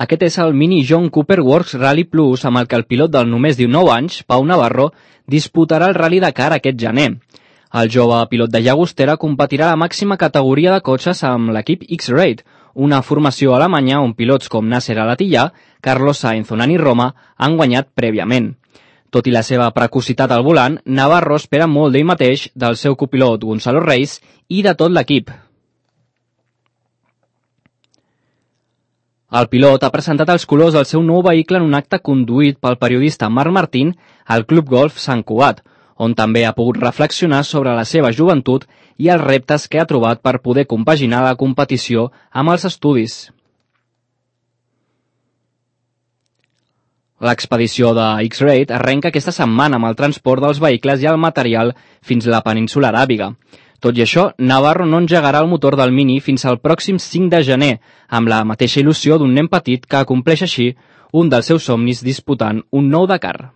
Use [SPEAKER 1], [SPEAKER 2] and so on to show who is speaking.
[SPEAKER 1] Aquest és el Mini John Cooper Works Rally Plus, amb el que el pilot del només 19 anys, Pau Navarro, disputarà el Rally Dakar aquest gener. El jove pilot de Llagostera competirà a la màxima categoria de cotxes amb l'equip X-Raid, una formació alemanya on pilots com Nasser Al-Attiyah, Carlos Sainz o Nani Roma han guanyat prèviament. Tot i la seva precocitat al volant, Navarro espera molt d'ell mateix, del seu copilot Gonzalo Reis i de tot l'equip. El pilot ha presentat els colors del seu nou vehicle en un acte conduït pel periodista Marc Martín al Club Golf Sant Cugat, on també ha pogut reflexionar sobre la seva joventut i els reptes que ha trobat per poder compaginar la competició amb els estudis. L'expedició de X-Raid arrenca aquesta setmana amb el transport dels vehicles i el material fins a la península Aràbiga. Tot i això, Navarro no engegarà el motor del Mini fins al pròxim 5 de gener, amb la mateixa il·lusió d'un nen petit que acompleix així un dels seus somnis disputant un nou Dakar.